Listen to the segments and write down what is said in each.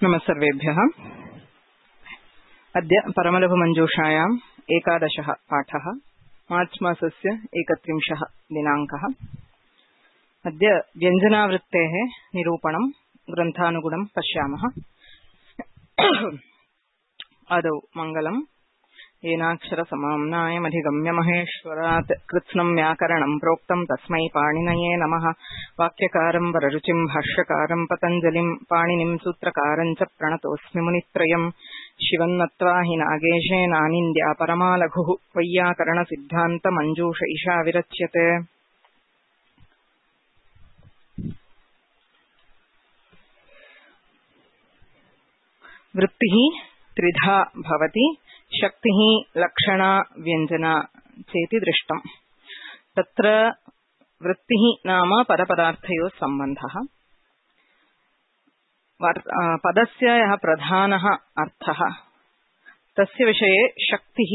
नमस्सर्वेभ्यः। अद्य परमलघुमञ्जूषायाम् 11 पाठः, मार्च् मासस्य 31 दिनाङ्कः। अद्य व्यञ्जनावृत्तेः निरूपणं ग्रन्थानुगुणं पश्यामः। आदौ मङ्गलम्। येनाक्षरसमाम्नायमधिगम्य महेश्वरात् कृत्स्नं व्याकरणं प्रोक्तं तस्मै पाणिनये नमः। वाक्यकारं वररुचिं भाष्यकारं पतञ्जलिं पाणिनिं सूत्रकारं च प्रणतोऽस्मि मुनित्रयम्। शिवन्नत्वा हि नागेशेनानिन्द्या परमालघुः वैयाकरणसिद्धान्तमञ्जूष ईशा विरच्यते। वृत्तिः त्रिधा भवति। शक्तिः लक्षणा व्यञ्जना चेति दृष्टम्। तत्र वृत्तिः नाम पदपदार्थयोः सम्बन्धः। पदस्य यः प्रधानः अर्थः तस्य विषये शक्तिः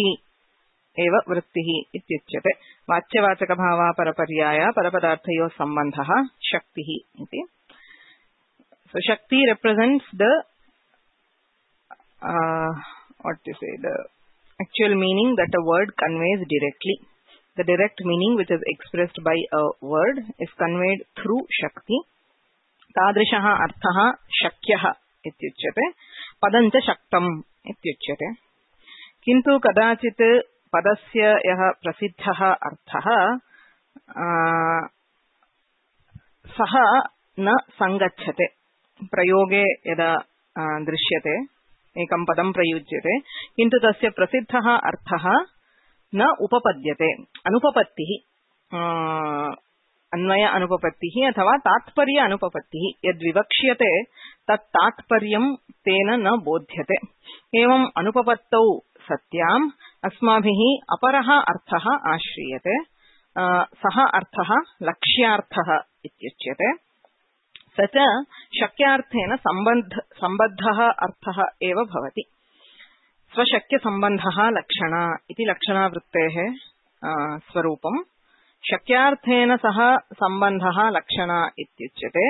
एव वृत्तिः इत्युच्यते। वाच्यवाचकभावापरपर्याय परपदार्थयोः सम्बन्धः शक्तिः इति। So shakti represents the what to say, the actual meaning that a word conveys directly. The direct meaning which is expressed by a word is conveyed through shakti. तादृशः अर्थः शक्यः इत्युच्यते। पदञ्च शक्तम् इत्युच्यते। किन्तु कदाचित् पदस्य यः प्रसिद्धः अर्थः सः न संगच्छते। प्रयोगे यदा दृश्यते, एकं पदं प्रयुज्यते, किन्तु तस्य प्रसिद्धः अर्थः न उपपद्यते। अनुपपत्तिः, अन्वय अनुपपत्तिः अथवा तात्पर्य अनुपपत्तिः यद्विवक्ष्यते तत् तात्पर्यं तेन न बोध्यते। एवं अनुपपत्तौ सत्याम् अस्माभिः अपरः अर्थः आश्रीयते। सः अर्थः लक्ष्यार्थः इत्युच्यते। स च शक्यार्थेन सम्बद्धः अर्थः एव भवति। स्वशक्यसम्बन्धः लक्षणा इति लक्षणावृत्तेः स्वरूपम्। शक्यार्थेन सह सम्बन्धः लक्षणा इत्युच्यते।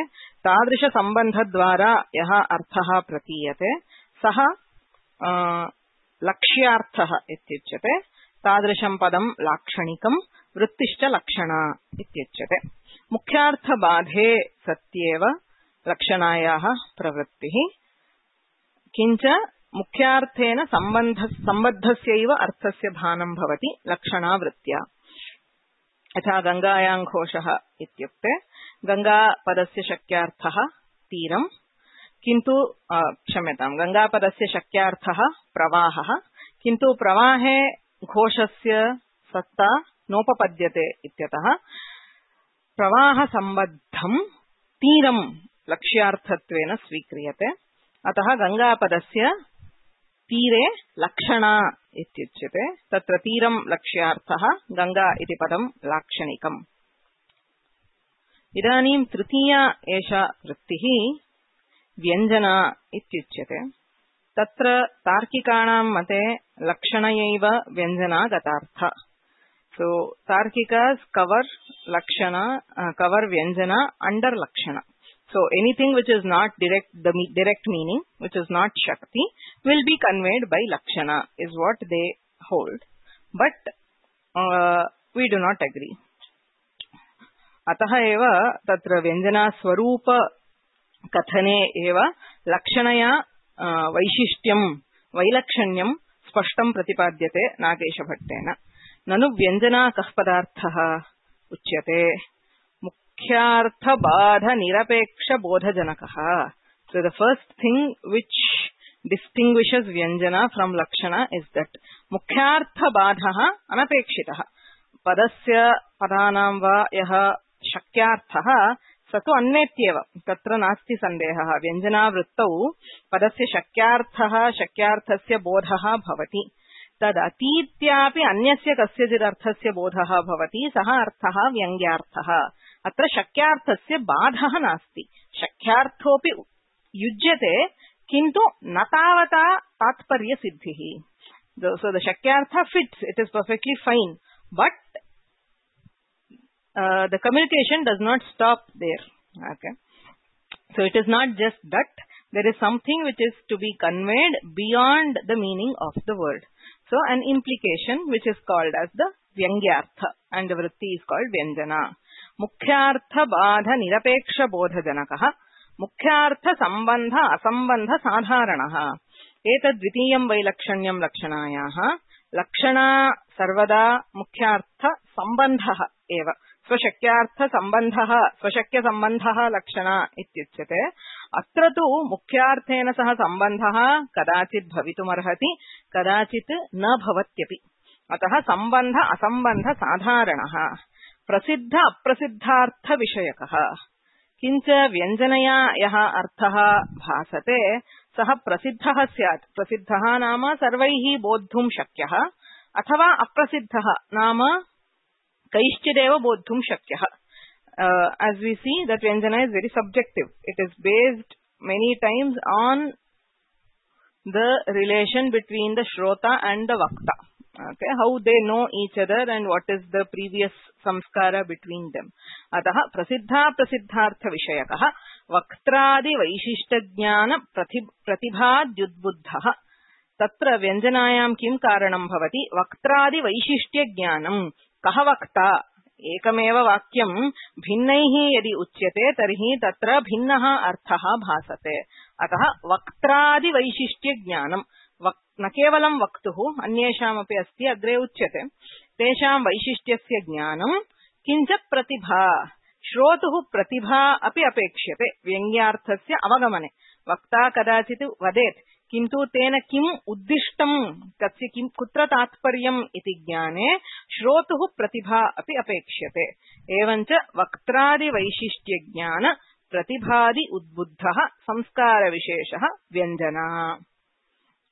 तादृशसम्बन्धद्वारा यः अर्थः प्रतीयते सः लक्ष्यार्थः इत्युच्यते। तादृशं पदं लाक्षणिकं। वृत्तिश्च लक्षणा इत्युच्यते। मुख्यार्थबाधे सत्येव लक्षणायाः प्रवृत्तिः, किञ्च मुख्यार्थेन सम्बद्धस्यैव अर्थस्य भानं भवति लक्षणावृत्त्या। यथा गङ्गायां घोषः इत्युक्ते गङ्गापदस्य शक्यार्थः तीरं, किन्तु क्षम्यतां, गङ्गापदस्य शक्यार्थः प्रवाहः, किन्तु प्रवाहे घोषस्य सत्ता नोपपद्यते इत्यतः प्रवाहसम्बद्धं तीरं लक्ष्यार्थत्वेन स्वीक्रियते। अतः गङ्गापदस्य तीरे लक्षणा इत्युच्यते। तत्र तीरं लक्ष्यार्थः, गङ्गा इति पदं लाक्षणिकम्। इदानीं तृतीया एषा वृत्तिः व्यञ्जना इत्युच्यते। तत्र तार्किकाणां मते लक्षणयैव व्यञ्जना गतार्थ। So Tarkikas cover Lakshana, cover Vyanjana under Lakshana. So anything which is not the direct meaning, which is not Shakti, will be conveyed by Lakshana, is what they hold. But we do not agree. अतः एव तत्र व्यञ्जना स्वरूप कथने एव लक्षणया वैशिष्ट्यं वैलक्षण्यं स्पष्टं प्रतिपाद्यते नागेशभट्टेन। ननु व्यञ्जना कः पदार्थः उच्यते? मुख्यार्थबाधनिरपेक्षबोधजनकः। So the first thing which distinguishes व्यञ्जना from lakshana is that मुख्यार्थबाधः अनपेक्षितः। पदस्य पदानां वा यः शक्यार्थः स तु अन्वेत्येव, तत्र नास्ति सन्देहः। व्यञ्जनावृत्तौ पदस्य शक्यार्थः शक्यार्थस्य बोधः भवति। तदतीत्यापि अन्यस्य कस्यचिदर्थस्य बोधः भवति, सः अर्थः व्यङ्ग्यार्थः। अत्र शक्यार्थस्य बाधः नास्ति। शक्यार्थोऽपि युज्यते, किन्तु न तावता तात्पर्यसिद्धिः। So the shakyartha fits, it is perfectly fine, but the communication does not stop there. Okay. So it is not just that, There is something which is to be conveyed beyond the meaning of the word. So an implication which is called as the Vyangyartha, and the vritti is called Vyanjana. Mukhyartha Badha Nirapeksha Bodha Janakaha Mukhyartha Sambandha Asambandha Sadharanaha Etad Dvitiyam Vailakshanyam Lakshanayaha Lakshana Sarvada Mukhyartha Sambandha Eva Swashakyartha Sambandha Swashakya Sambandha Lakshana Ityuchyate Atra tu Mukhyarthena Saha Sambandha Kadachit Bhavitumarhati Kadachit Na Bhavatyapi Ataha Sambandha Asambandha Sadharanaha Prasiddha Aprasiddhartha Vishayakaha Kincha Vyanjanaya Yaha Arthaha Bhasate Saha Prasiddhaha Syat Prasiddhaha Nama Sarvaihi Bodhum Shakyaha Athava Aprasiddhaha Nama Kaishchideva Bodhum Shakyaha. As we see, that Vyanjana is very subjective. It is based many times on the relation between the Shrota and the Vakta. Okay, how they know each other and what is the previous samskara between them. Ataha prasiddha prasiddhartha vishayakaha vaktradi vaishishta jnana pratibhadyudbuddhaha tatra vyanjanayam kim karanam bhavati vaktradi vaishishtya jnanam kaha vakta ekameva vakyam bhinnaihi yadi uchyate tarhi tatra bhinnaha arthaha bhasate ataha vaktradi vaishishtya jnanam न केवलं वक्तुः अन्येषामपि अस्ति अग्रे उच्यते तेषां वैशिष्ट्यस्य ज्ञानं किञ्च प्रतिभा श्रोतुः प्रतिभा अपि अपेक्ष्यते व्यङ्ग्यार्थस्य अवगमने वक्ता कदाचित् वदेत् किन्तु तेन किम् उद्दिष्टं तस्य किं कुत्र तात्पर्यम् इति ज्ञाने श्रोतुः प्रतिभा अपि अपेक्ष्यते एवञ्च वक्त्रादि वैशिष्ट्य ज्ञान प्रतिभादि उद्बुद्धः संस्कारविशेषः व्यञ्जना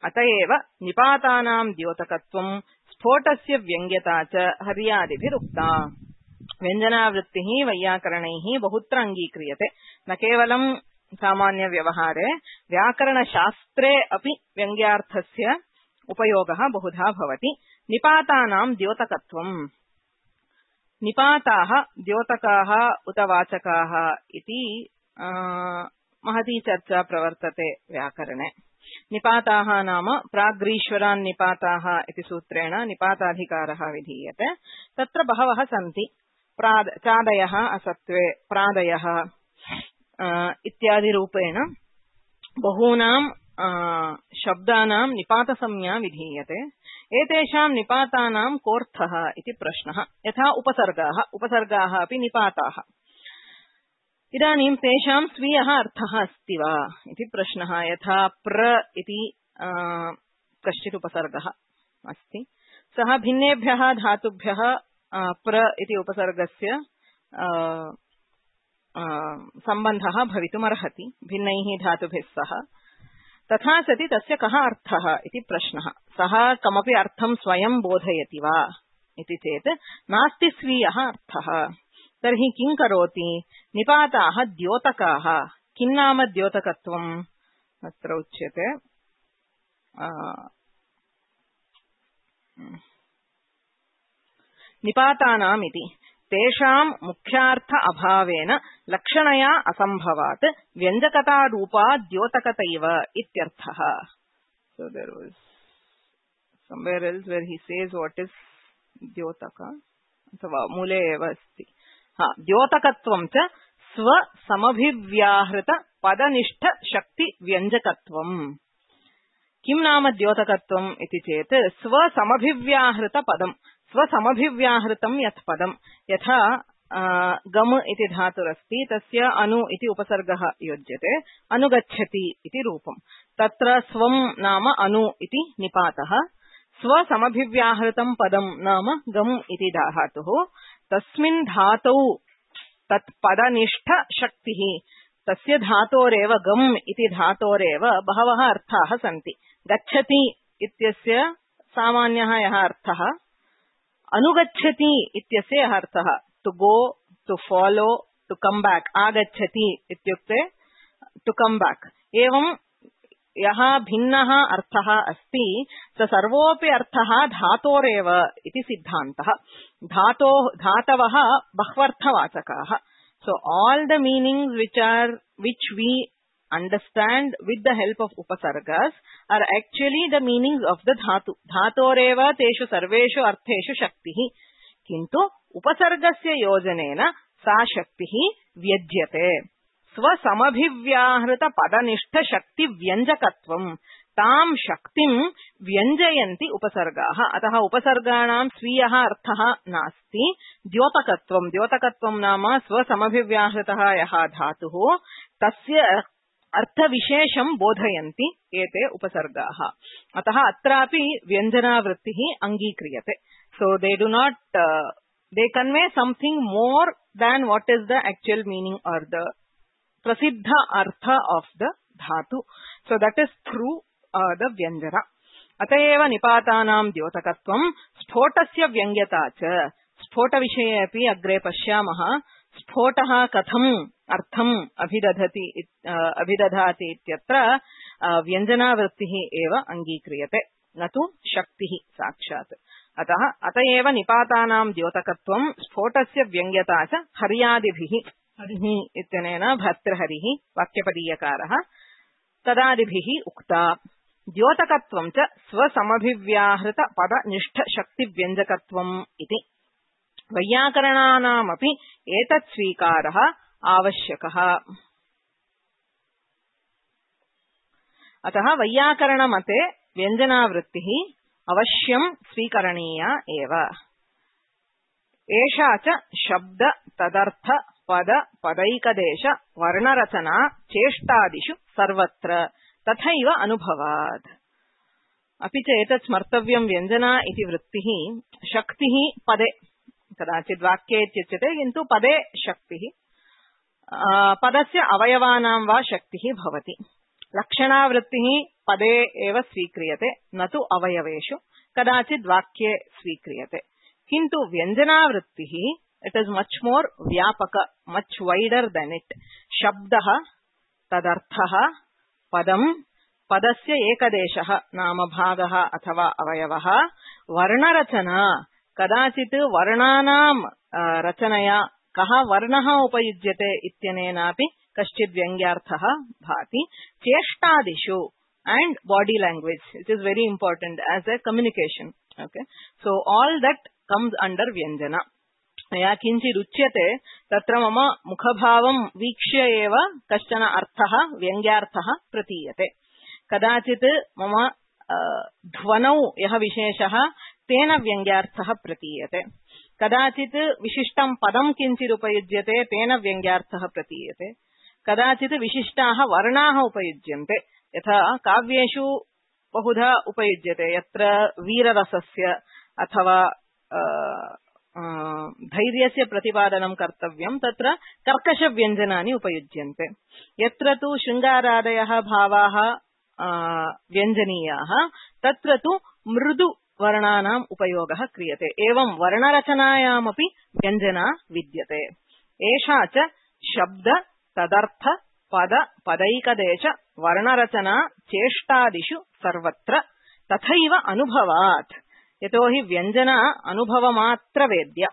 अतएव निपातानां द्योतकत्वं स्फोटस्य व्यङ्ग्यता च हर्यादिभिरुक्ता व्यञ्जनावृत्तिः वैयाकरणैः बहुत्र अङ्गीक्रियते न केवलं सामान्य व्यवहारे व्याकरणशास्त्रे अपि व्यङ्ग्यार्थस्य उपयोगः बहुधा भवति निपातानां द्योतकत्वं निपाताः द्योतकाः उत वाचकाः इति महती चर्चा प्रवर्तते व्याकरणे निपाताः नाम प्राग्रीश्वरान् निपाताः इति सूत्रेण निपाताधिकारः विधीयते तत्र बहवः सन्ति चादयः असत्त्वे प्रादयः इत्यादि रूपेण बहूनां शब्दानां निपातसंज्ञा विधीयते एतेषां निपातानां कोऽर्थः इति प्रश्नः यथा उपसर्गाः अपि निपाताः इदानीं तेषां स्वीयः अर्थः अस्ति वा इति प्रश्नः यथा प्र इति कश्चित् उपसर्गः अस्ति सः भिन्नेभ्यः धातुभ्यः प्र इति उपसर्गस्य सम्बन्धः भवितुमर्हति भिन्नैः धातुभिः सह तथा सति तस्य कः अर्थः इति प्रश्नः सः कमपि अर्थं स्वयं बोधयति वा इति चेत् नास्ति स्वीयः अर्थः तर्हि किं करोति निपाताः द्योतकाः किं नाम द्योतकत्वम् अत्र उच्यते निपातानाम् इति तेषां मुख्यार्थ अभावेन लक्षणया असंभवात् व्यञ्जकता रूपा द्योतकतैव इत्यर्थः so there was somewhere else where he says what is द्योतक अथवा मूले एव अस्ति द्योतकत्वं च स्व समभिव्याहृत पदनिष्ठ शक्ति व्यञ्जकत्वम् किं नाम द्योतकत्वम् इति चेत् स्व समभिव्याहृत पदम् स्व समभिव्याहृतं यत् पदम् यथा गम इति धातुरस्ति तस्य अनु इति उपसर्गः योज्यते अनुगच्छति इति रूपम् तत्र स्वं नाम अनु इति निपातः स्व समभिव्याहृतं पदं नाम गम इति धातुः तस्मिन् धातौ तत् पदनिष्ठ शक्तिः तस्य धातोरेव गम इति धातोरेव बहवः अर्थाः सन्ति गच्छति इत्यस्य सामान्यः यः अर्थः अनुगच्छति इत्यस्य यः अर्थः to go to follow to come back आगच्छति इत्युक्ते टु कम बैक एवं यः भिन्नः अर्थः अस्ति स सर्वोऽपि अर्थः धातोरेव इति सिद्धान्तः धातवः बह्वर्थवाचकाः so all the meanings which we understand with the help of upasargas are actually the meanings of the dhatu. Dhatoreva teshu sarveshu artheshu shaktihi. Kintu upasargasya yojanena sa shaktihi vyajyate. Swasamabhivyahrita padanishta shakti vyanjakatvam. ताम शक्तिं व्यञ्जयन्ति उपसर्गाः. अतः उपसर्गाणां स्वीयः अर्थः नास्ति. द्योतकत्वं नाम स्वसमभिव्याहृतः यः धातुः तस्य अर्थविशेषं बोधयन्ति एते उपसर्गाः. अतः अत्रापि व्यञ्जनावृत्तिः अङ्गीक्रियते. So they do not they convey something more than what is the actual meaning or the prasiddha artha of the dhatu. So that is through the vyanjana. अतएव निपातानां द्योतकत्वं स्फोटस्य व्यङ्ग्यता च. स्फोटविषये अपि अग्रे पश्यामः. स्फोटः कथम् अर्थम् अभिदधाति इत्यत्र व्यञ्जनावृत्तिः एव अङ्गीक्रियते, न तु शक्तिः साक्षात्. अतएव निपातानां द्योतकत्वं स्फोटस्य व्यङ्ग्यता च हर्यादिभिः. हरिः इत्यनेन भर्तृहरिः वाक्यपदीयकारः तदादिभिः उक्ता. द्योतकत्वं च स्वसमभिव्याहृत पदनिष्ठ शक्तिव्यञ्जकत्वम् इति. वैयाकरणानामपि एतत् स्वीकारः आवश्यकः. अतः वैयाकरणमते व्यञ्जनावृत्तिः अवश्यं स्वीकरणीया एव. एषा च शब्द तदर्थ पद पदैकदेश वर्णरचना चेष्टादिषु सर्वत्र तथैव अनुभवात्. अपि च एतत् स्मर्तव्यं व्यञ्जना इति वृत्तिः शक्तिः पदे, कदाचित् वाक्ये इत्युच्यते किन्तु पदे शक्तिः. पदस्य अवयवानां वा शक्तिः भवति. लक्षणावृत्तिः पदे एव स्वीक्रियते, न तु अवयवेषु. कदाचित् वाक्ये स्वीक्रियते. किन्तु व्यञ्जनावृत्तिः इट् इस् मच् मोर् व्यापक, मच् वैडर् देन् इट्. शब्दः तदर्थः पदं पदस्य एकदेशः नाम भागः अथवा अवयवः. वर्णरचना कदाचित् वर्णानां रचनया कः वर्णः उपयुज्यते इत्यनेनापि कश्चित् व्यङ्ग्यार्थः भाति. चेष्टादिषु and body language, it is very important as a communication. Okay, so all that comes under vyanjana. या किञ्चित् उच्यते तत्र मम मुखभावं वीक्ष्य एव कश्चन अर्थः व्यङ्ग्यार्थः प्रतीयते. कदाचित् मम ध्वनौ यः विशेषः तेन व्यङ्ग्यार्थः प्रतीयते. कदाचित् विशिष्टं पदं किञ्चित् उपयुज्यते तेन व्यङ्ग्यार्थः प्रतीयते. कदाचित् विशिष्टाः वर्णाः उपयुज्यन्ते, यथा काव्येषु बहुधा उपयुज्यते. यत्र वीररसस्य अथवा धैर्यस्य प्रतिपादनं कर्तव्यं तत्र कर्कशव्यञ्जनानि उपयुज्यन्ते. यत्र तु शृङ्गारादयः भावाः व्यञ्जनीयाः तत्र तु मृदु वर्णानाम् उपयोगः क्रियते. एवं वर्णरचनायामपि व्यञ्जना विद्यते. एषा च शब्द तदर्थ पद पदैकदेश वर्णरचना चेष्टादिषु सर्वत्र तथैव अनुभवात्. यतोहि व्यञ्जना अनुभवमात्र वेद्य.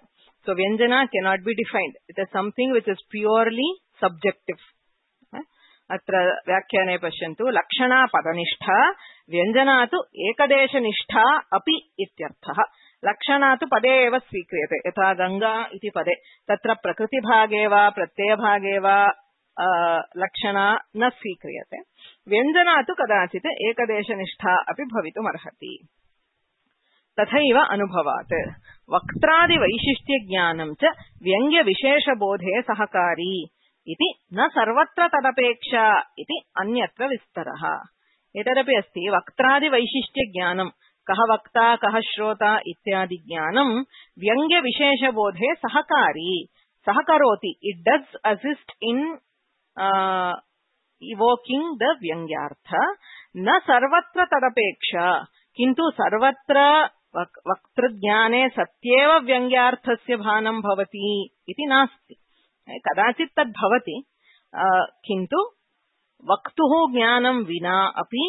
So व्यञ्जना cannot be defined. It is something which is purely subjective. अत्र व्याख्याने पश्यन्तु. लक्षणा पदनिष्ठा व्यञ्जना तु एकदेशनिष्ठा अपि इत्यर्थः. लक्षणा तु पदे एव स्वीक्रियते. यथा गंगा इति पदे तत्र प्रकृतिभागे वा प्रत्ययभागे वा लक्षणा न स्वीक्रियते. व्यञ्जना तु कदाचित् एकदेशनिष्ठा अपि भवितुमर्हति. तथैव अनुभवात्. वक्त्रादिवैशिष्ट्यज्ञानं च व्यङ्ग्यविशेषबोधे सहकारी इति न सर्वत्र तदपेक्षा इति अन्यत्र विस्तरः. एतदपि अस्ति. वक्त्रादिवैशिष्ट्यज्ञानं कः वक्ता कः श्रोता इत्यादि ज्ञानं व्यङ्ग्यविशेषबोधे सहकारी सहकरोति. It does assist in evoking the व्यङ्ग्यार्थ. न सर्वत्र तदपेक्षा, किन्तु सर्वत्र वक्तृज्ञाने सत्येव व्यङ्ग्यार्थस्य भानं भवति इति नास्ति. कदाचित् तद् भवति, किन्तु वक्तुः ज्ञानं विना अपि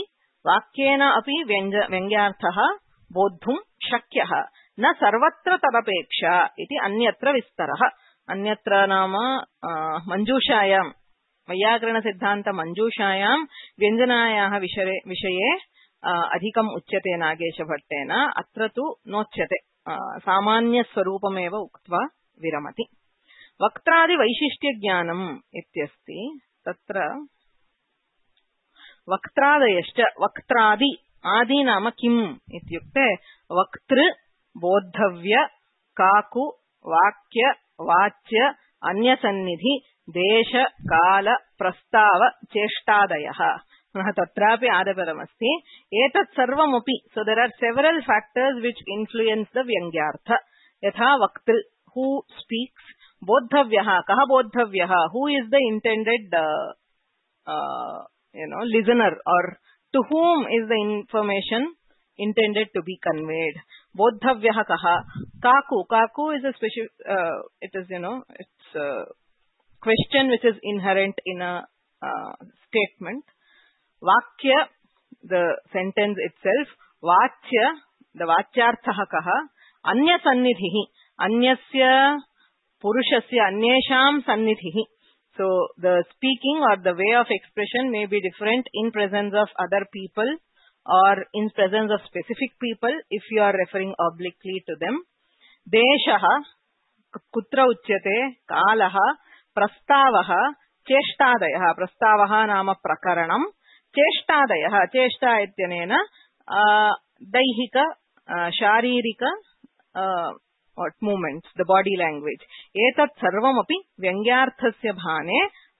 वाक्येन अपि व्यङ्ग्यार्थः बोद्धुं शक्यः. न सर्वत्र तदपेक्षा इति अन्यत्र विस्तरः. अन्यत्र नाम मञ्जूषायां वैयाकरणसिद्धान्तमञ्जूषायां व्यञ्जनायाः विषये अधिकम् उच्यते नागेशभट्टेन। अत्र तु नोच्यते, सामान्यस्वरूपमेव उक्त्वा विरमति। वक्त्रादिवैशिष्ट्यज्ञानम् इत्यस्ति। तत्र वक्त्रादयश्च, वक्त्रादि, आदि नाम किम् इत्युक्ते वक्तृ, बोद्धव्य, काकु, वाक्य, वाच्य, अन्यसन्निधि, देश, काल, प्रस्ताव, चेष्टादयः। तत्रापि आदपदमस्ति। एतत् सर्वमपि, so there are several factors which influence the व्यङ्ग्यार्थ। यथा वक्तृ, हू स्पीक्स, बोद्धव्यः, कः बोद्धव्यः, who is the intended listener, or to whom is the information intended to be conveyed. Bodhavyah kaha. Kaku, kaku is a special, it is, it's a question which is inherent in a statement. Vakya, the sentence itself. Vachya, the vachyarthah kaha. Anya sannidhihi, anyasya purushasya anyesham sannidhihi. So the speaking or the way of expression may be different in presence of other people or in presence of specific people if you are referring obliquely to them. Deshaha, kutra uchyate, kalaha, prastavaha, cheshtadayah. Prastavaha nama prakaranam, cheshtadayah. Cheshta ityanena daihika, sharirika movements, the body language. Etat sarvamapi vyangyarthasya bhane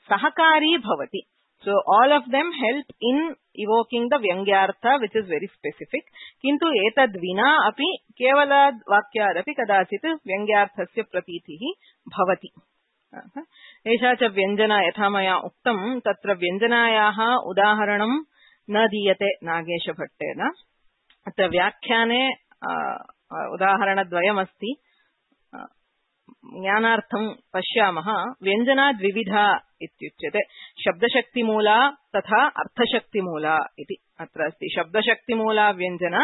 sahakari bhavati. So all of them help in evoking the vyangyartha, which is very specific. Kintu etad vina api kevalad vakyadapi kadachit vyangyarthasya pratitihi bhavati. एषा च व्यञ्जना यथा मया उक्तं तत्र व्यञ्जनायाः उदाहरणं न दीयते नागेशभट्टेन। अत्र व्याख्याने उदाहरणद्वयमस्ति। ज्ञानार्थं पश्यामः। व्यञ्जना द्विविधा इत्युच्यते, शब्दशक्तिमूला तथा अर्थशक्तिमूला इति। अत्र अस्ति शब्दशक्तिमूला व्यञ्जना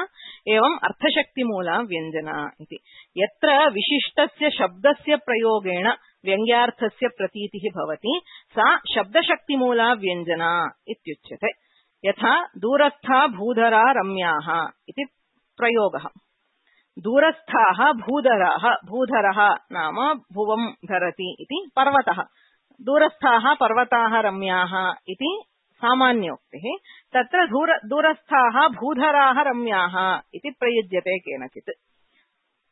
एवं अर्थशक्तिमूला व्यञ्जना इति। यत्र विशिष्टस्य शब्दस्य प्रयोगेण व्यङ्ग्यार्थस्य प्रतीतिः भवति सा शब्दशक्तिमूला व्यञ्जना इत्युच्यते। यथा दूरस्था भूधरा रम्याः इति प्रयोगः। दूरस्थाः भूधराः, भूधरः नाम भुवं धरति इति पर्वतः। दूरस्थाः पर्वताः रम्याः इति सामान्योक्तिः। तत्र दूरस्थाः भूधराः रम्याः इति प्रयुज्यते केनचित्।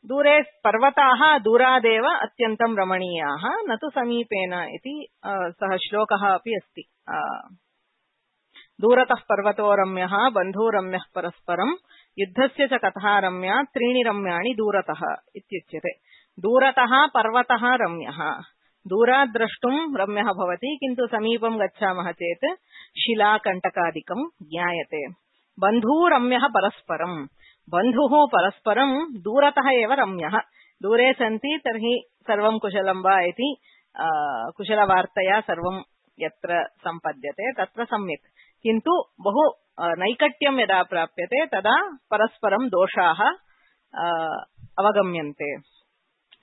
दूरे पर्वताः दूरादेव अत्यन्तं रमणीयाः, न तु समीपेन इति सः श्लोकः अपि अस्ति। दूरतः पर्वतो रम्यः बन्धुरम्यः परस्परं युद्धस्य च कथा रम्या त्रीणि रम्याणि दूरतः इत्युच्यते। दूरतः पर्वतः रम्यः, दूरात् द्रष्टुं रम्यः भवति, किन्तु समीपं गच्छामः चेत् शिलाकण्टकादिकं ज्ञायते। बन्धुरम्यः परस्परं, बन्धुः परस्परं दूरतः एव रम्यः। दूरे सन्ति तर्हि सर्वं कुशलं वा इति कुशलवार्तया सर्वं यत्र सम्पद्यते तत्र सम्यक्, किन्तु बहु नैकट्यं यदा प्राप्यते तदा परस्परं दोषाः अवगम्यन्ते।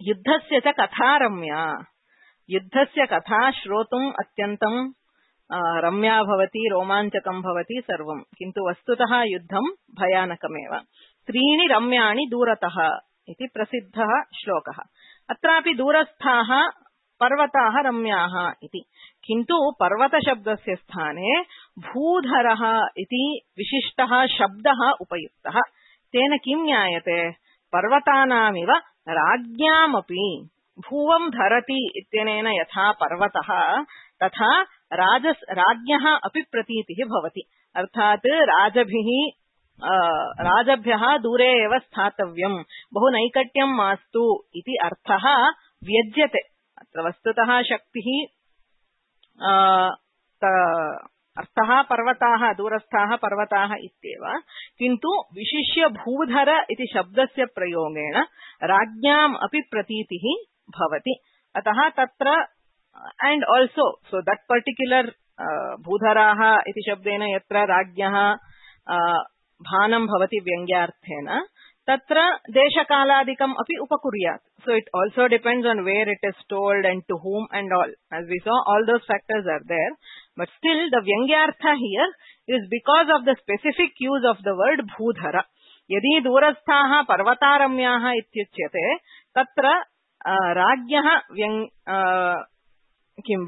युद्धस्य च कथा रम्या, युद्धस्य कथा श्रोतुम् अत्यन्तं रम्या भवति, रोमाञ्चकं भवति सर्वं, किन्तु वस्तुतः युद्धं भयानकमेव। त्रीणि रम्याणि दूरतः इति प्रसिद्धः श्लोकः। अत्रापि दूरस्थाः पर्वताः रम्याः इति, किन्तु पर्वतशब्दस्य स्थाने भूधरः इति विशिष्टः शब्दः उपयुक्तः। तेन किं ज्ञायते? पर्वतानामिव राज्ञामपि भुवं धरति इत्यनेन यथा पर्वतः तथा राज्ञः अपि प्रतीतिः भवति। अर्थात् राजभ्यः दूरे एव स्थातव्यं, बहु नैकट्यं मास्तु इति अर्थः व्यज्यते। अत्र वस्तुतः शक्तिः अर्थः पर्वताः, दूरस्थाः पर्वताः इत्येव, किन्तु विशिष्य भूधर इति शब्दस्य प्रयोगेण राज्ञाम् अपि प्रतीतिः भवति। अतः तत्र and also so that particular भूधराः इति शब्देन यत्र राज्ञः भानं भवति व्यङ्ग्यार्थेन तत्र देशकालादिकम् अपि उपकुर्यात्। So it also depends on where it is told and to whom and all. As we saw, all those factors are there. But still the Vyangyartha here is because of the specific use of the word Bhudhara. Yadi durasthaha parvataramyaha ityuchyate tatra राज्ञः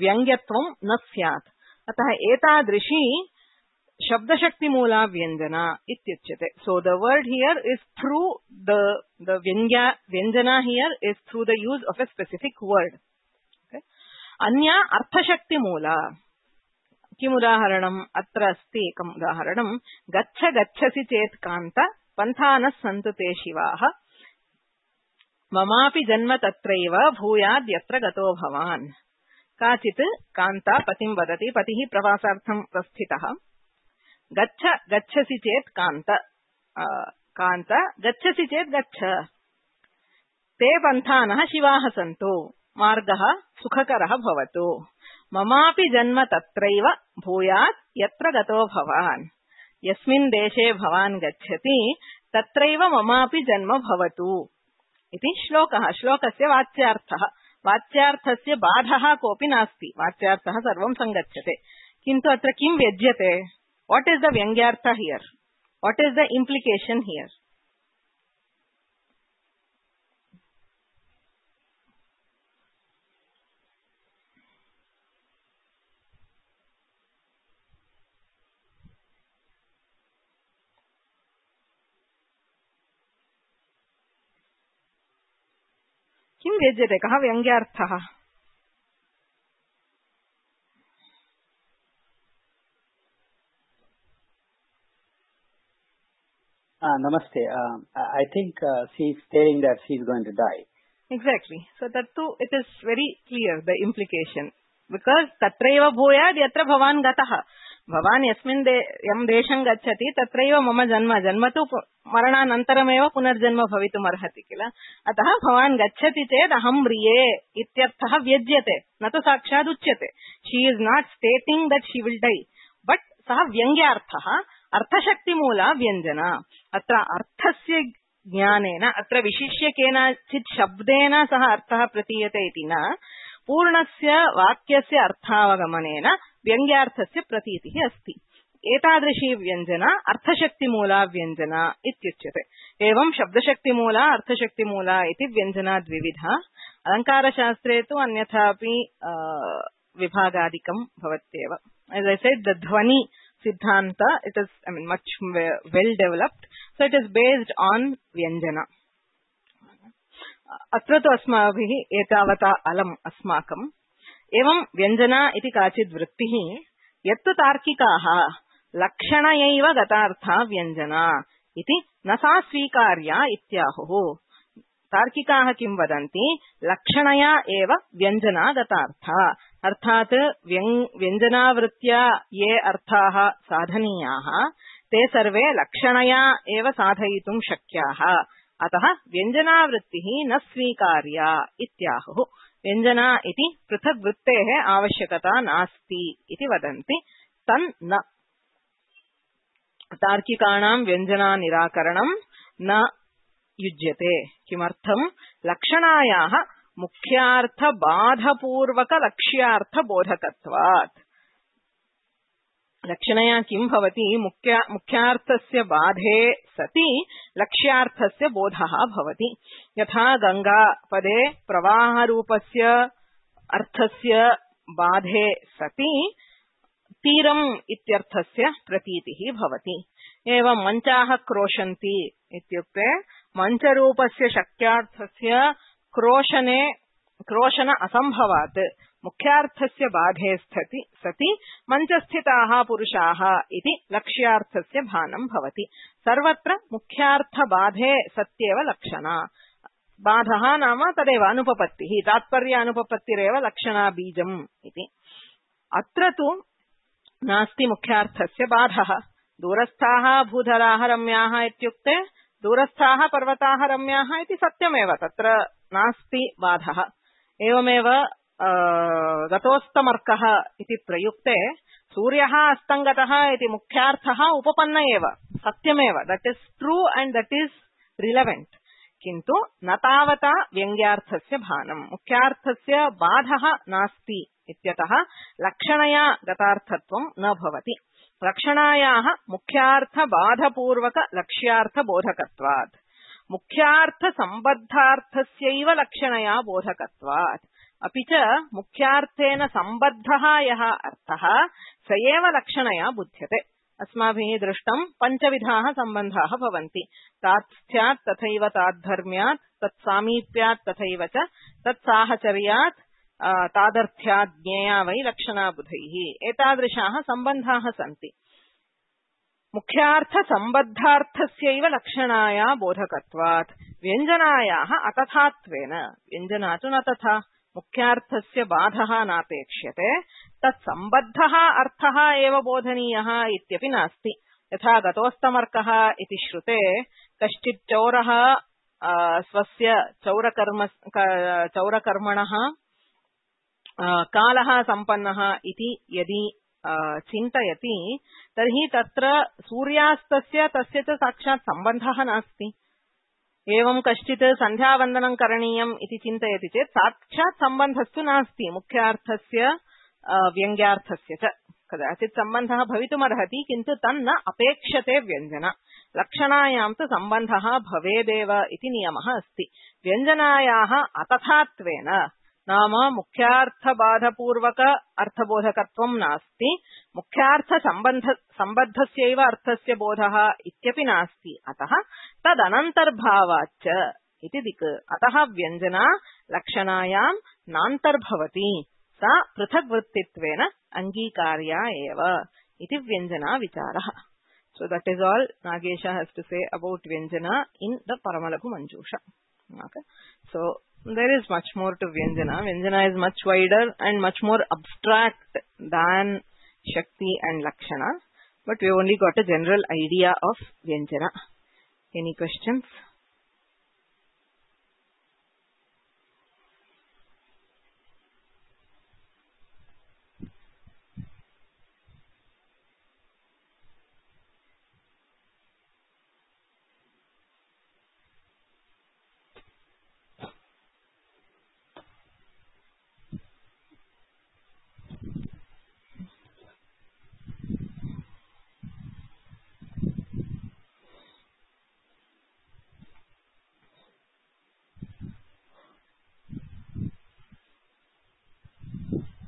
व्यङ्ग्यत्वं न स्यात्. अतः एतादृशी शब्दशक्तिमूला व्यञ्जना इत्युच्यते. So the word here is through the व्यञ्जना here is through the use of a specific word. Okay. अन्या अर्थशक्तिमूला. किम् उदाहरणम्? अत्र अस्ति एकम् उदाहरणम्. गच्छ गच्छसि चेत् कान्त पन्थानः सन्तु ते शिवाः ममापि जन्म तत्रैव भूयाद् यत्र गतो भवान्. काचित् कान्ता पतिं वदति. पतिः प्रवासार्थं प्रस्थितः. गच्छ गच्छसि चेत् कान्त कान्त गच्छसि चेत् गच्छ. ते पन्थानः शिवाः सन्तु. मार्गः सुखकरः भवतु. ममापि जन्म तत्रैव भूयात् यत्र गतो भवान्. यस्मिन् देशे भवान् गच्छति तत्रैव ममापि जन्म भवतु इति श्लोकः. श्लोकस्य वाच्यार्थः. वाच्यार्थस्य बाधः कोऽपि नास्ति. वाच्यार्थः सर्वं सङ्गच्छते. किन्तु अत्र किं व्यज्यते? What is the Vyangyartha here? What is the implication here? किं व्यज्यते? कः व्यङ्ग्यार्थः? Namaste. I think she is stating that she is going to die. Exactly. So that too, it is very clear, the implication. Because tatraiva bhuyad yatra bhavan gatah. Bhavan yasmin yam desham gacchati tatraiva mama janma. Janma tu marananantarameva punarjanma bhavitum arhati kila. Atah bhavan gacchati ched aham riye ityarthah vyajyate. Na tu sakshad uchyate. She is not stating that she will die. But saha vyangyarthah अर्थशक्तिमूला व्यञ्जना. अत्र अर्थस्य ज्ञानेन अत्र विशिष्य केनचित् शब्देन सह अर्थः प्रतीयते इति न, पूर्णस्य वाक्यस्य अर्थावगमनेन व्यङ्ग्यार्थस्य प्रतीतिः अस्ति. एतादृशी व्यञ्जना अर्थशक्तिमूला व्यञ्जना इत्युच्यते. एवं शब्दशक्तिमूला अर्थशक्तिमूला इति व्यञ्जना द्विविधा. अलङ्कारशास्त्रे तु अन्यथापि विभागादिकं भवत्येव. As I said, the ध्वनि Siddhanta, it is, much well developed. So it is based on Vyanjana. Atra tu asmabhih etavata alam asmakam. Evam Vyanjana iti kachid vrittihi. Yattu tarkikaha lakshanayaiva gatartha Vyanjana iti nasa svikarya ityahuhu. तार्किकाः किं वदन्ति? लक्षणया एव व्यञ्जना गतार्था. अर्थात् व्यञ्जनावृत्त्या ये अर्थाः साधनीयाः ते सर्वे लक्षणया एव साधयितुं शक्याः. अतः व्यञ्जनावृत्तिः न स्वीकार्या इत्याहुः. व्यञ्जना इति पृथक् वृत्तेः आवश्यकता नास्ति इति वदन्ति. तन् न तार्किकाणां व्यञ्जना निराकरणं न युज्यते. किमर्थं? लक्षणायाः मुख्यार्थ बाधपूर्वक लक्ष्यार्थ बोधकत्वात्. लक्षणया किं भवति? मुख्यार्थस्य बाधे सति लक्ष्यार्थस्य बोधः भवति. यथा गंगापदे प्रवाहरूपस्य अर्थस्य बाधे सति तीरम् इत्यर्थस्य प्रतीतिः भवति. एवं मञ्चाः क्रोशन्ति इत्युक्ते मञ्चरूपस्य शक्यार्थस्य क्रोशन असम्भवात् मुख्यार्थस्य बाधे सति मञ्चस्थिताः पुरुषाः इति लक्ष्यार्थस्य भानं भवति. सर्वत्र मुख्यार्थबाधे सत्येव लक्षणा. बाधः नाम तदेव अनुपपत्तिः. तात्पर्यानुपपत्तिरेव लक्षणा बीजम् इति. अत्र तु नास्ति मुख्यार्थस्य बाधः. दूरस्थाः भूधराः रम्याः इत्युक्ते दूरस्थाः पर्वताः रम्याः इति सत्यमेव. तत्र नास्ति बाधः. एवमेव गतोस्तमर्कः इति प्रयुक्ते सूर्यः अस्तङ्गतः इति मुख्यार्थः उपपन्न एव, सत्यमेव. That is true and that is relevant. किन्तु न तावता व्यङ्ग्यार्थस्य भानं. मुख्यार्थस्य बाधः नास्ति इत्यतः लक्षणया गतार्थत्वं न भवति। लक्षणायाः मुख्यार्थबाधपूर्वक लक्ष्यार्थबोधकत्वात् मुख्यार्थसम्बद्धार्थस्यैव लक्षणया बोधकत्वात् अपि च मुख्यार्थेन सम्बद्धः यः अर्थः स एव लक्षणया बुध्यते। अस्माभिः दृष्टं पञ्चविधाः सम्बन्धाः भवन्ति। तात्स्थ्यात् तथैव ताद्धर्म्यात् तत्सामीप्यात् तथैव च तत्साहचर्यात् तादर्थ्यात् ज्ञेया वै लक्षणा बुधैः। एतादृशाः सम्बन्धाः सन्ति। मुख्यार्थसम्बद्धार्थस्यैव लक्षणाया बोधकत्वात् व्यञ्जनायाः अतथात्वेन व्यञ्जना तु न तथा मुख्यार्थस्य बाधः नापेक्ष्यते तत्सम्बद्धः अर्थः एव बोधनीयः इत्यपि नास्ति। यथा गतोस्तमर्कः इति श्रुते कश्चित् चौरः स्वस्य चौरकर्मणः कालः सम्पन्नः इति यदि चिन्तयति तर्हि तत्र सूर्यास्तस्य तस्य च साक्षात् सम्बन्धः नास्ति। एवं कश्चित् सन्ध्यावन्दनं करणीयम् इति चिन्तयति चेत् साक्षात् सम्बन्धस्तु नास्ति मुख्यार्थस्य व्यङ्ग्यार्थस्य च। कदाचित् सम्बन्धः भवितुमर्हति किन्तु तन्न अपेक्षते व्यञ्जन। लक्षणायां तु सम्बन्धः भवेदेव इति नियमः अस्ति। व्यञ्जनायाः अतथात्वेन नाम मुख्यार्थबाधपूर्वक अर्थबोधकत्वं नास्ति मुख्यार्थसम्बद्धस्यैव अर्थस्य बोधः इत्यपि नास्ति। अतः तदनन्तर्भावाच्च इति दिक्। अतः व्यञ्जना लक्षणायां नान्तर्भवति सा पृथग्वृत्तित्वेन अङ्गीकार्या एव इति व्यञ्जना विचारः। So that is all Nagesha has to say about Vyanjana in the Paramalaghu Manjusha. Okay. So there is much more to Vyanjana. Vyanjana is much wider and much more abstract than Shakti and Lakshana. But we only got a general idea of Vyanjana. Any questions?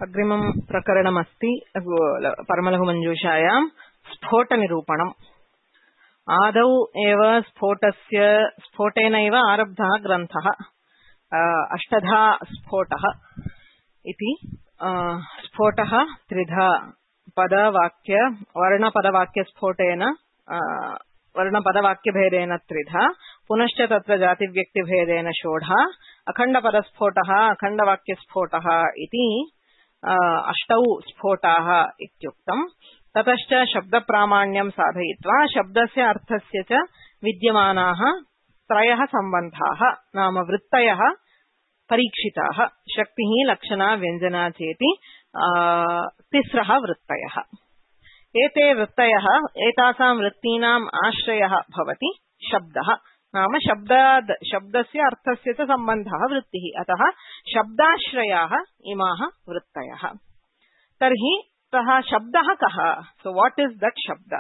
अग्रिमं प्रकरणमस्ति परमलघु मञ्जूषायां स्फोटनिरूपणम्। आदौ एव स्फोटेनैव आरब्धः ग्रन्थः अष्टधा स्फोटः इति। स्फोटः त्रिधा पदवाक्य वर्णपदवाक्यस्फोटेन वर्णपदवाक्यभेदेन त्रिधा पुनश्च तत्र जातिव्यक्तिभेदेन षोडः अखण्डपदस्फोटः अखण्डवाक्यस्फोटः इति अष्टौ स्फोटाः इत्युक्तम्। ततश्च शब्दप्रामाण्यं साधयित्वा शब्दस्य अर्थस्य च विद्यमानाः त्रयः सम्बन्धाः नाम वृत्तयः परीक्षिताः। शक्तिः लक्षणा व्यञ्जना चेति तिस्रः वृत्तयः। एते वृत्तयः एतासां वृत्तीनाम् आश्रयः भवति शब्दः नाम शब्दस्य अर्थस्य च सम्बन्धः वृत्तिः। अतः शब्दाश्रयाः इमाः वृत्तयः। तर्हि सः शब्दः कः? सो व्हाट इज दैट शब्द?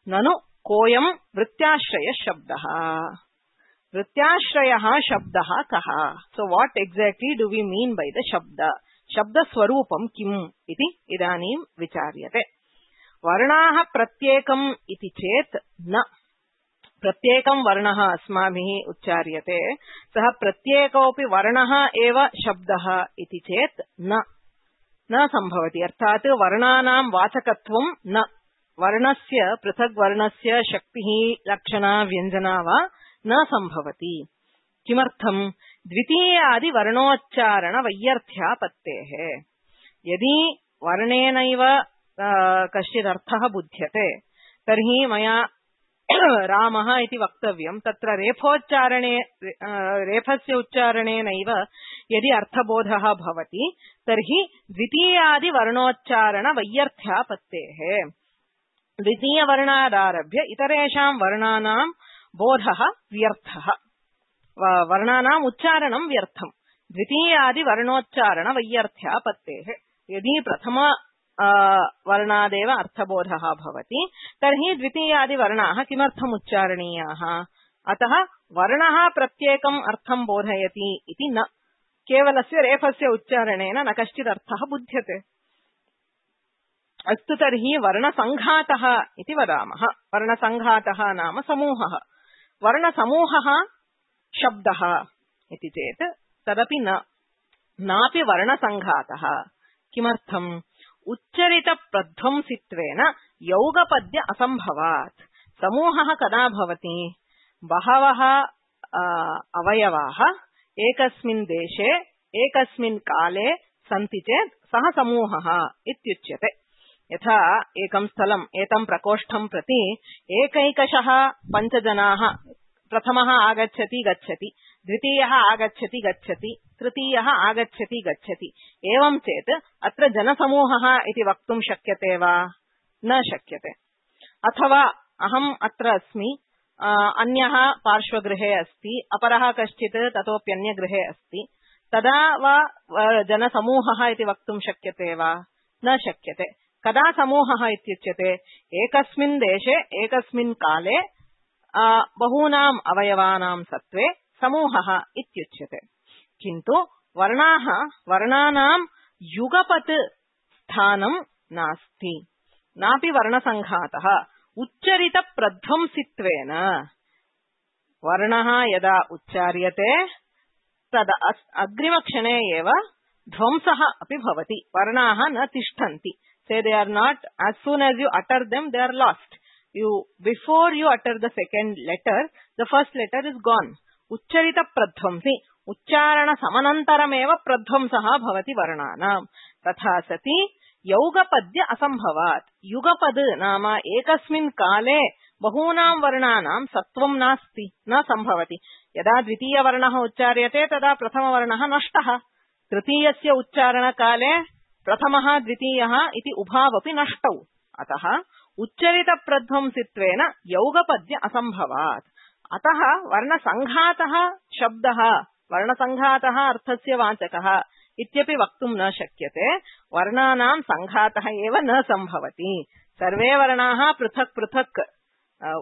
ननु कोऽयं वृत्त्याश्रयः शब्दः? वृत्त्याश्रयः शब्दः कः? So what exactly do we mean by the shabda? शब्दस्वरूपं किम् इति इदानीं विचार्यते। वर्णाः प्रत्येकम् इति चेत् न। प्रत्येकं वर्णः अस्माभिः उच्चार्यते सः प्रत्येकोऽपि वर्णः एव शब्दः इति चेत् न सम्भवति। अर्थात् वर्णानां वाचकत्वं न। वर्णस्य पृथग्वर्णस्य शक्तिः लक्षणा व्यञ्जना वा न सम्भवति। किमर्थम्? द्वितीयादिवर्णोच्चारणवैयर्थ्यापत्तेः। यदि वर्णेनैव कश्चिदर्थः बुध्यते तर्हि मया रामः इति वक्तव्यं। तत्र रेफस्य उच्चारणेनैव यदि अर्थबोधः भवति तर्हि द्वितीयादिवर्णोच्चारणवैयर्थ्यापत्तेः। द्वितीयवर्णादारभ्य इतरेषां वर्णानां बोधः व्यर्थः। वर्णानाम् उच्चारणं व्यर्थम्। द्वितीयादिवर्णोच्चारणवैयर्थ्यापत्तेः। यदि प्रथम वर्णादेव अर्थबोधः भवति तर्हि द्वितीयादिवर्णाः किमर्थम् उच्चारणीयाः? अतः वर्णः प्रत्येकम् अर्थं बोधयति इति न, केवलस्य रेफस्य उच्चारणेन न कश्चित् अर्थः बुध्यते। अस्तु, तर्हि वर्णसङ्घातः इति वदामः। वर्णसङ्घातः नाम समूहः। वर्णसमूहः शब्दः इति चेत् तदपि नापि वर्णसङ्घातः। किमर्थम्? उच्चरितप्रध्वंसित्वेन यौगपद्य असम्भवात्। समूहः कदा भवति? बहवः अवयवाः एकस्मिन् देशे एकस्मिन् काले सन्ति चेत् सः समूहः इत्युच्यते। यथा एकं स्थलम्, एतं प्रकोष्ठं प्रति एकैकशः 5 जनाः, प्रथमः आगच्छति गच्छति, द्वितीयः आगच्छति गच्छति, तृतीयः आगच्छति गच्छति, एवं चेत् अत्र जनसमूहः इति वक्तुं शक्यते वा? न शक्यते। अथवा अहम् अत्र अस्मि, अन्यः पार्श्वगृहे अस्ति, अपरः कश्चित् ततोप्यन्यगृहे अस्ति, तदा वा जनसमूहः इति वक्तुं शक्यते वा? न शक्यते। कदा समूहः इत्युच्यते? एकस्मिन् देशे एकस्मिन् काले बहूनाम् अवयवानां सत्त्वे समूहः इत्युच्यते। किन्तु वर्णानां युगपत् स्थानं नास्ति, नापि वर्णसङ्घातः। उच्चरितप्रध्वंसित्वेन वर्णः यदा उच्चार्यते तदा अग्रिमक्षणे एव ध्वंसः अपि भवति। वर्णाः न तिष्ठन्ति। Say they are not, as soon as you utter them, they are lost. Before you utter the second letter, the first letter is gone. Uchcharita pradhvamsi, उच्चारण समनन्तरमेव प्रध्वंसः भवति वर्णानां। तथा सति यौगपद्य असम्भवात्। युगपद् नाम एकस्मिन् काले बहूनां वर्णानां सत्त्वं नास्ति, न सम्भवति। यदा द्वितीयवर्णः उच्चार्यते तदा प्रथमवर्णः नष्टः। तृतीयस्य उच्चारणकाले प्रथमः द्वितीयः इति उभावपि नष्टौ। अतः उच्चरितप्रध्वंसित्वेन यौगपद्य असम्भवात्। अतः वर्णसङ्घातः शब्दः, वर्णसङ्घातः अर्थस्य वाचकः इत्यपि वक्तुं न शक्यते। वर्णानां सङ्घातः एव न सम्भवति। सर्वे वर्णाः पृथक् पृथक्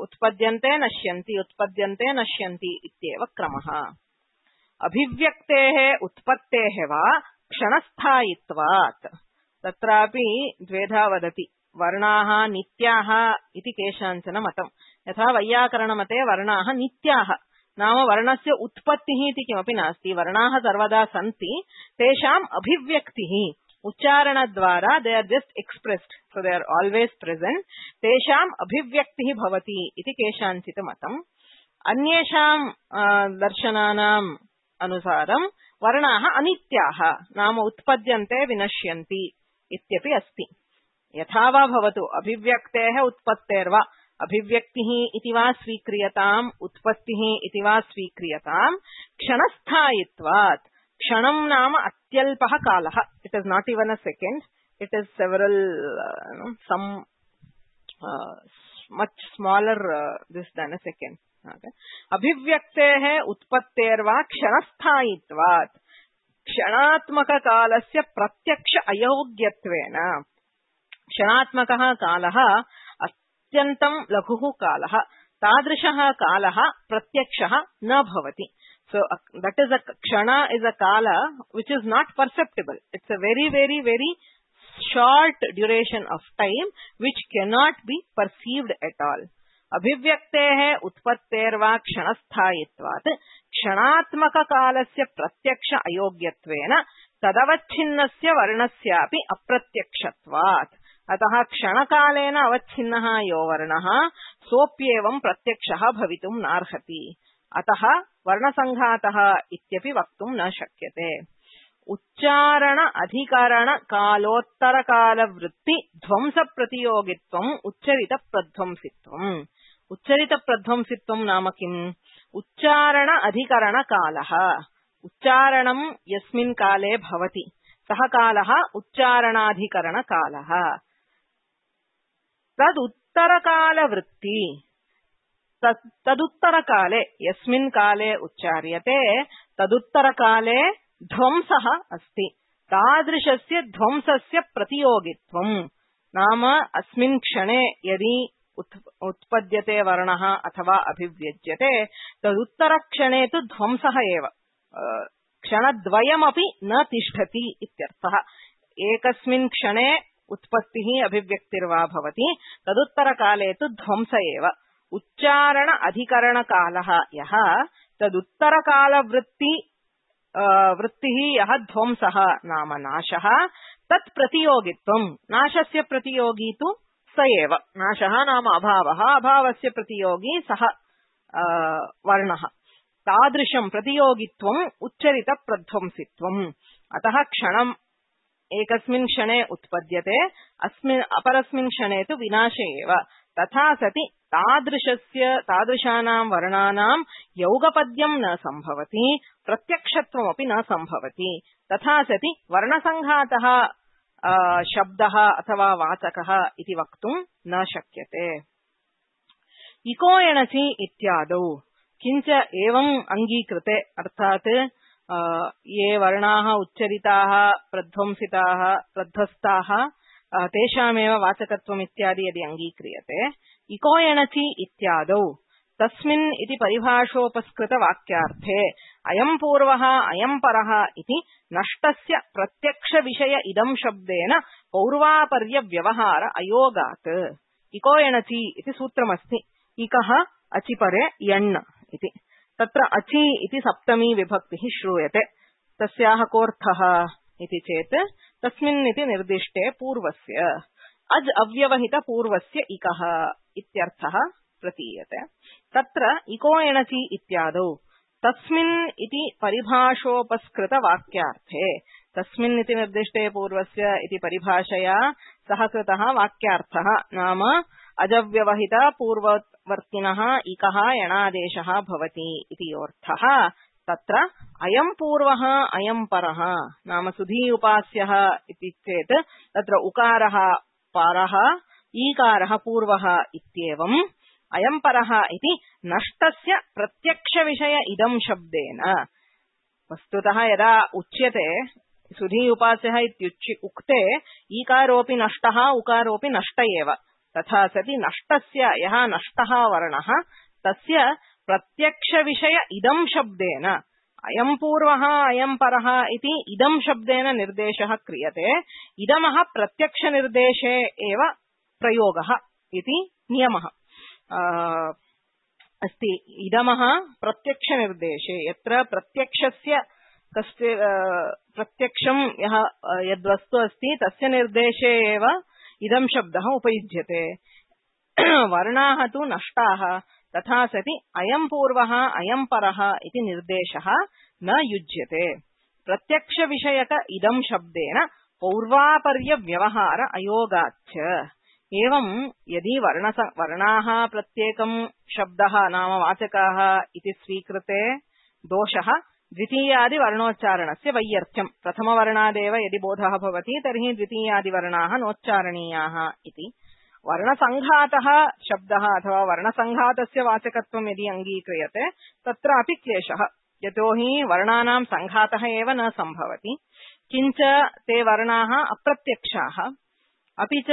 उत्पद्यन्ते नश्यन्ति, उत्पद्यन्ते नश्यन्ति इत्येव क्रमः। अभिव्यक्तेः उत्पत्तेः वा क्षणस्थायित्वात्। तत्रापि द्वेधा वदति। वर्णाः नित्याः इति केषाञ्चन मतम्। यथा वैयाकरणमते वर्णाः नित्याः, नाम वर्णस्य उत्पत्तिः इति किमपि नास्ति। वर्णाः सर्वदा सन्ति, तेषाम् अभिव्यक्तिः उच्चारणद्वारा they are just expressed, so they are always present, तेषाम् अभिव्यक्तिः भवति इति केषाञ्चित् मतम्। अन्येषां दर्शनानाम् अनुसारं वर्णाः अनित्याः, नाम उत्पद्यन्ते विनश्यन्ति इत्यपि अस्ति। यथा वा भवतु, अभिव्यक्तेः उत्पत्तेर्वा, अभिव्यक्तिः इति वा स्वीक्रियताम्, उत्पत्तिः इति वा स्वीक्रियताम्, क्षणस्थायित्वात्। क्षणं नाम अत्यल्पः कालः। It is not even a second, it is several some much smaller this than a second. अभिव्यक्तेः उत्पत्तेर्वा क्षणस्थायित्वात्। क्षणात्मककालस्य प्रत्यक्ष अयोग्यत्वेन। क्षणात्मकः कालः अत्यन्तं लघुः कालः, तादृशः कालः प्रत्यक्षः न भवति। So that is a kshana is a kala which is not perceptible. It's a very, very, very short duration of time which cannot be perceived at all. अभिव्यक्तेः उत्पत्तेर्वा क्षणस्थायित्वात् क्षणात्मककालस्य प्रत्यक्ष अयोग्यत्वेन तदवच्छिन्नस्य वर्णस्यापि अप्रत्यक्षत्वात्। अतः क्षणकालेन अवच्छिन्नः यो वर्णः सोऽप्येवं प्रत्यक्षः भवितुं नार्हति। अतः वर्णसङ्घातः इत्यपि वक्तुं न शक्यते। उच्चारण अधिकरण कालोत्तरकालवृत्ति ध्वंस प्रतियोगित्वम् उच्चरित प्रध्वंसित्वम्। उच्चरित प्रध्वंसित्वम् नाम किम्? उच्चारण अधिकरण कालः। उच्चारणं यस्मिन् काले भवति सः कालः उच्चारणाधिकरण कालः। तदुत्तरकालवृत्ति, तदुत्तरकाले यस्मिन् काले उच्चार्यते तदुत्तरकाले ध्वंसः अस्ति। तादृशस्य ध्वंसस्य प्रतियोगित्वम् नाम अस्मिन् क्षणे यदि उत्पद्यते वर्णः अथवा अभिव्यज्यते तदुत्तरक्षणे तु ध्वंसः एव क्षणद्वयमपि न तिष्ठति इत्यर्थः। एकस्मिन् क्षणे उत्पत्तिः अभिव्यक्तिर्वा भवति तदुत्तरकाले तु ध्वंस एव। उच्चारण अधिकरणकालः यः वृत्तिः यः ध्वंसः नाम नाशः तत् प्रतियोगित्वम् नाशस्य प्रतियोगी तु स एव। नाशः नाम अभावः, अभावस्य प्रतियोगी सः वर्णः। तादृशं प्रतियोगित्वम् उच्चरित प्रध्वंसित्वम्। अतः क्षणम् एकस्मिन् क्षणे उत्पद्यते अपरस्मिन् क्षणे तु विनाशे एव। तथा सति तादृशानां वर्णानां यौगपद्यं न संभवति, प्रत्यक्षत्वमपि न संभवति। तथा सति वर्णसङ्घातः शब्दः अथवा वाचकः इति वक्तुं न शक्यते। इको एणचि इत्यादौ किञ्च एवम् अङ्गीकृते अर्थात् ये वर्णाः उच्चरिताः प्रध्वंसिताः प्रध्वस्ताः तेषामेव वाचकत्वम् इत्यादि यदि अङ्गीक्रियते इको एणचि इत्यादौ तस्मिन् इति परिभाषोपस्कृत वाक्यार्थे अयं पूर्वः अयं परः इति नष्टस्य प्रत्यक्ष विषय इदं शब्देन पौर्वापर्य व्यवहार अयोगात्। इको एणचि इति सूत्रमस्ति। इकः अचिपरे यण् इति। तत्र अचि इति सप्तमी विभक्तिः श्रूयते। तस्याः कोऽर्थः इति चेत् तस्मिन् इति निर्दिष्टे पूर्वस्य अज् अव्यवहित पूर्वस्य इकः इत्यर्थः प्रतीयते। तत्र इको एणचि इत्यादौ तस्मिन् इति परिभाषोपस्कृत वाक्यार्थे तस्मिन् इति निर्दिष्टे पूर्वस्य इति परिभाषया सह कृतः वाक्यार्थः नाम अजव्यवहित पूर्ववर्तिनः इकः यणादेशः भवति इति अर्थः। तत्र अयं पूर्वः अयं परः नाम सुधी उपास्यः इति चेत् तत्र उकारः परः ईकारः पूर्वः इत्येवम् अयं परः इति नष्टस्य प्रत्यक्ष विषय इदं शब्देन। वस्तुतः यदा उच्यते सुधी उपास्यः इत्युक्ते ईकारोऽपि नष्टः उकारोऽपि नष्ट एव। तथा सति नष्टस्य यः नष्टः वर्णः तस्य प्रत्यक्ष विषय इदं शब्देन अयं पूर्वः अयं परः इति इदं शब्देन निर्देशः क्रियते। इदमः प्रत्यक्ष निर्देशे एव प्रयोगः इति नियमः अस्ति। इदमः प्रत्यक्ष निर्देशे यत्र प्रत्यक्षस्य कस्य प्रत्यक्षं यः यद्वस्तु अस्ति तस्य निर्देशे एव इदं शब्दः उपयुज्यते। वर्णाः तु नष्टाः तथा सति अयं पूर्वः अयं परः इति निर्देशः न युज्यते। प्रत्यक्ष विषयक इदं शब्देन पौर्वापर्य व्यवहार अयोगाच्च। एवं यदि वर्णाः प्रत्येकं शब्दः नाम वाचकाः इति स्वीकृते दोषः द्वितीयादि वर्णोच्चारणस्य वैयर्थ्यम्। प्रथमवर्णादेव यदि बोधः भवति तर्हि द्वितीयादिवर्णाः नोच्चारणीयाः इति। वर्णसङ्घातः शब्दः अथवा वर्णसङ्घातस्य वाचकत्वं यदि अङ्गीक्रियते तत्रापि क्लेशः। यतोहि वर्णानां सङ्घातः एव न सम्भवति। किञ्च ते वर्णाः अप्रत्यक्षाः। अपि च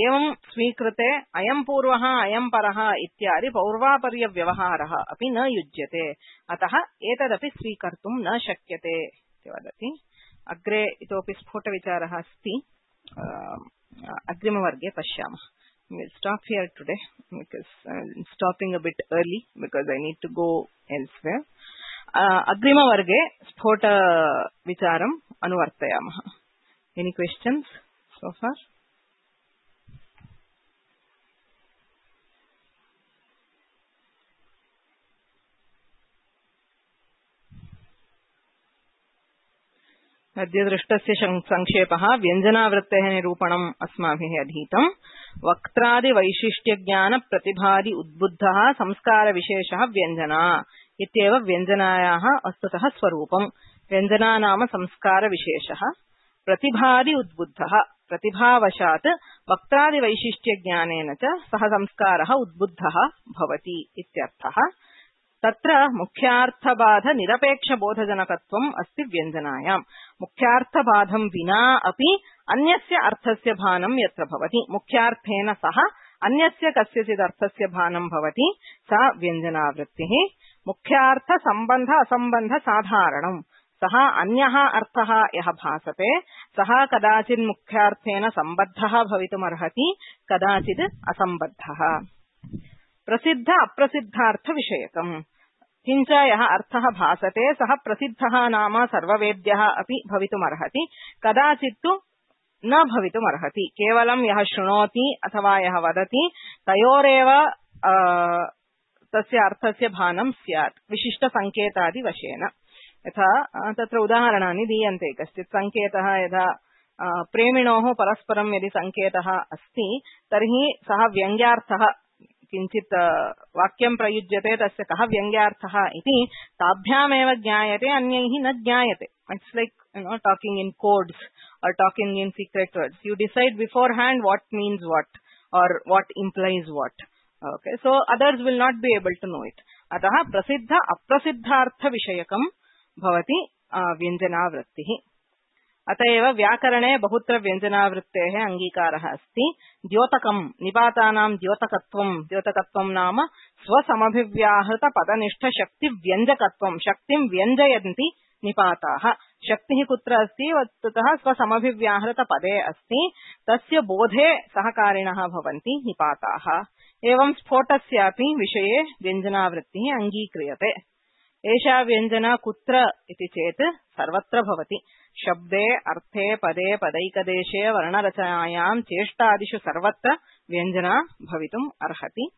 एवं स्वीकृते अयं पूर्वः अयं परः इत्यादि पौर्वापर्य व्यवहारः अपि न युज्यते। अतः एतदपि स्वीकर्तुं न शक्यते इति वदति। अग्रे इतोपि स्फुटविचारः अस्ति। अग्रिमवर्गे पश्यामः। We'll stop here today because I'm stopping a bit early because I need to go elsewhere. Agrimavarge Sphota Vicharam Anuvartayamah. Any questions so far? अद्य दृष्टस्य संक्षेपः व्यञ्जनावृत्तेः निरूपणम् अस्माभिः अधीतम्। वक्त्रादि वैशिष्ट्य ज्ञान प्रतिभादि उद्बुद्धः संस्कार विशेषः व्यञ्जना इत्येव व्यञ्जनायाः वस्तुतः स्वरूपम्। व्यञ्जना नाम संस्कार विशेषः। प्रतिभादि उद्बुद्धः प्रतिभावशात् वक्त्रादि वैशिष्ट्य ज्ञानेन च सः संस्कारः उद्बुद्धः भवति इत्यर्थः। तत्र मुख्यार्थबाध निरपेक्षबोधजनकत्वम् अस्ति व्यञ्जनायाम्। मुख्यार्थबाधं विना अपि अन्यस्य अर्थस्य भानं यत्र भवति, मुख्यार्थेन सह अन्यस्य कस्यचित् अर्थस्य भानं भवति, सा व्यञ्जनावृत्तिः। मुख्यार्थ सम्बन्ध असम्बन्ध साधारणम्, सः अन्यः अर्थः यः भासते सः कदाचित् मुख्यार्थेन सम्बद्धः भवितुमर्हति, कदाचित् असम्बद्धः। प्रसिद्ध अप्रसिद्धार्थ विषयकम्, किञ्च यः अर्थः भासते सः प्रसिद्धः नाम सर्ववेद्यः अपि भवितुमर्हति, कदाचित् तु न भवितुमर्हति। केवलं यः शृणोति अथवा यः वदति तयोरेव तस्य अर्थस्य भानं स्यात् विशिष्टसङ्केतादिवशेन। यथा तत्र उदाहरणानि दीयन्ते। कश्चित् सङ्केतः यदा प्रेमिणोः परस्परं यदि सङ्केतः अस्ति तर्हि सः व्यङ्ग्यार्थः, किञ्चित् वाक्यं प्रयुज्यते, तस्य कः व्यङ्ग्यार्थः इति ताभ्यामेव ज्ञायते, अन्यैः न ज्ञायते। It's like talking in codes or talking in secret words. You decide beforehand what means what or what implies what. Okay, so others will not be able to know it. अतः प्रसिद्ध अप्रसिद्धार्थ विषयकं भवति व्यञ्जनावृत्तिः। अतएव व्याकरणे बहुत्र व्यञ्जनावृत्तेः अङ्गीकारः अस्ति। द्योतकं, निपातानां द्योतकत्वं नाम स्वसमभिव्याहृत पदनिष्ठ शक्ति व्यञ्जकत्वं, शक्तिं व्यञ्जयन्ति निपाताः। शक्तिः कुत्र अस्ति? वस्तुतः स्वसमभिव्याहृत पदे अस्ति, तस्य बोधे सहकारिणः भवन्ति निपाताः। एवं स्फोटस्यापि विषये व्यञ्जनावृत्तिः अङ्गीक्रियते। एषा व्यञ्जना कुत्र इति चेत् सर्वत्र भवति। शब्दे, अर्थे, पदे, पदैकदेशे, वर्णरचनायां, चेष्टादिषु सर्वत्र व्यञ्जना भवितुम् अर्हति।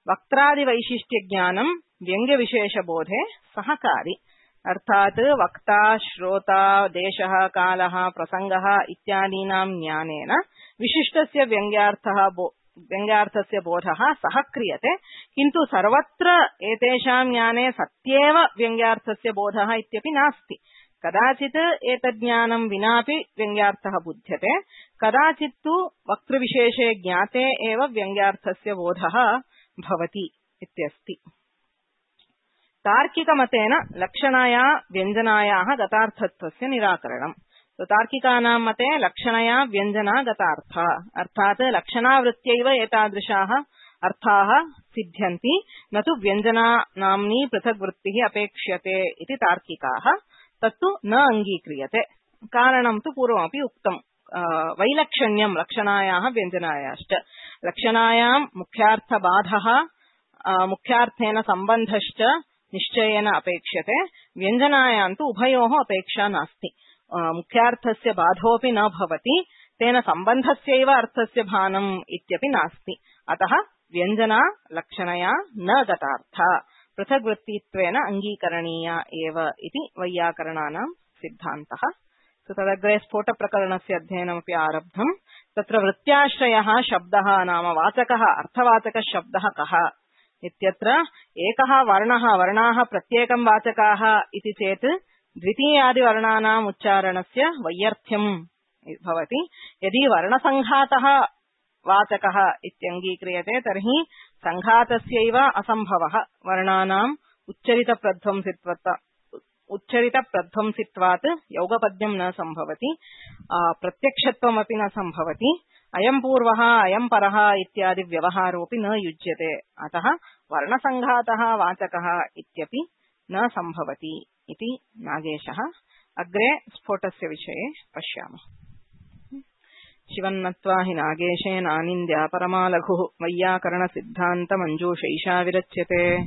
वक्त्रादिवैशिष्ट्यज्ञानं व्यङ्ग्यविशेषबोधे सहकारी। अर्थात् वक्ता, श्रोता, देशः, कालः, प्रसङ्गः इत्यादीनां ज्ञानेन विशिष्टस्य व्यङ्ग्यार्थस्य बोधः सह क्रियते, किन्तु सर्वत्र एतेषां ज्ञाने सत्येव व्यङ्ग्यार्थस्य बोधः इत्यपि नास्ति। कदाचित् एतज्ज्ञानं विनापि व्यङ्ग्यार्थः बुध्यते, कदाचित् तु वक्तृविशेषे ज्ञाते एव व्यङ्ग्यार्थस्य बोधः भवति इत्यस्ति। तार्किकमतेन लक्षणाया व्यञ्जनायाः गतार्थत्वस्य निराकरणम्। तार्किकानां मते लक्षणया व्यञ्जना गतार्थ, अर्थात् लक्षणावृत्त्यैव एतादृशाः अर्थाः सिद्ध्यन्ति, न तु व्यञ्जनानाम्नी पृथग्वृत्तिः अपेक्ष्यते इति तार्किकाः। तत्तु न अङ्गीक्रियते। कारणं तु पूर्वमपि उक्तम्, वैलक्षण्यं लक्षणायाः व्यञ्जनायाश्च। लक्षणायां मुख्यार्थबाधः, मुख्यार्थेन सम्बन्धश्च निश्चयेन अपेक्ष्यते, व्यञ्जनायां तु उभयोः अपेक्षा नास्ति। मुख्यार्थस्य बाधोऽपि न भवति, तेन सम्बन्धस्यैव अर्थस्य भानम् इत्यपि नास्ति। अतः व्यञ्जना लक्षणया न गतार्थ, पृथग्वृत्तित्वेन अङ्गीकरणीया एव इति वैयाकरणानां सिद्धान्तः। तदग्रे स्फोटप्रकरणस्य अध्ययनमपि आरब्धम्। तत्र वृत्त्याश्रयः शब्दः नाम वाचकः, अर्थवाचकः शब्दः कः इत्यत्र एकः वर्णाः प्रत्येकं वाचकाः इति चेत् द्वितीयादिवर्णानाम् उच्चारणस्य वैयर्थ्यम् भवति। यदि वर्णसङ्घातः वाचकः इत्यङ्गीक्रियते तर्हि सङ्घातस्यैव असम्भवः। वर्णानाम् उच्चरितप्रध्वंसित्वात् यौगपद्यं न सम्भवति, प्रत्यक्षत्वमपि न सम्भवति, अयं पूर्वः अयं परः इत्यादि व्यवहारोऽपि न युज्यते। अतः वर्णसङ्घातः वाचकः इत्यपि न सम्भवति इति नागेशः। अग्रे स्फोटस्य विषये पश्यामः। शिवन्नत्वा हि नागेशेनानिन्द्या परमालघुः वैयाकरणसिद्धान्तमञ्जूषैषा विरच्यते।